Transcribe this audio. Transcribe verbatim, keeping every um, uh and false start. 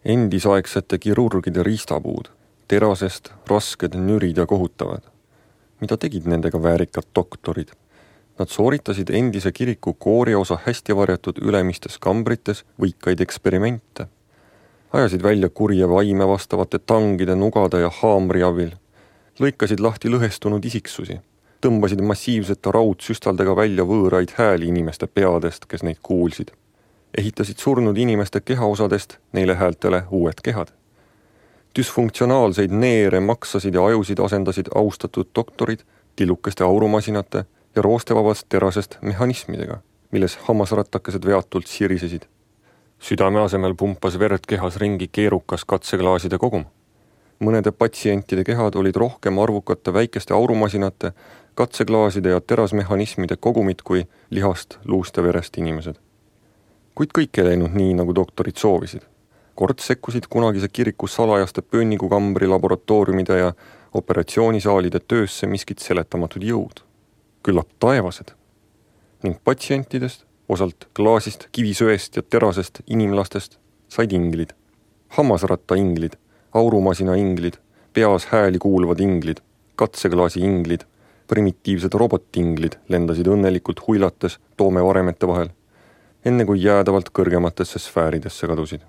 Endisaegsete kirurgide riistapuud, terasest, rasked, nürid ja kohutavad. Mida tegid nendega väärikad doktorid? Nad sooritasid endise kiriku kooriosa hästi varjatud ülemistes kambrites võikaid eksperimente. Ajasid välja kurje vaime vastavate tangide, nugade ja haamri abil. Lõikasid lahti lõhestunud isiksusi. Tõmbasid massiivsete raudsüstaldega välja võõraid hääli inimeste peadest, kes neid kuulsid. Ehitasid surnud inimeste kehaosadest neile häältele uued kehad. Düsfunktsionaalseid neere, maksasid ja ajusid asendasid austatud doktorid tillukeste aurumasinate ja roostevabast terasest mehhanismidega, milles hammasrattakesed veatult sirisesid. Südame asemel pumpas verd kehas ringi keerukas katseklaaside kogum. Mõnede patsientide kehad olid rohkem arvukate väikeste aurumasinate, katseklaaside ja terasmehhanismide kogumid kui lihast, luust ja verest inimesed. Kuid kõik ei läinud nii, nagu doktorid soovisid. Kord sekkusid kunagise kiriku salajaste pönnigukambri laboratooriumide ja operatsioonisaalide töösse miskid seletamatud jõud. Küllap taevased. Ning patsientidest, osalt klaasist, kivisöest ja terasest inimlastest said inglid. Hammasratta inglid, aurumasina inglid, peas hääli kuulvad inglid, katseklaasi inglid, primitiivsed robotinglid lendasid õnnelikult huilates toome varemete vahel, enne kui jäädavalt kõrgematesse sfääridesse kadusid.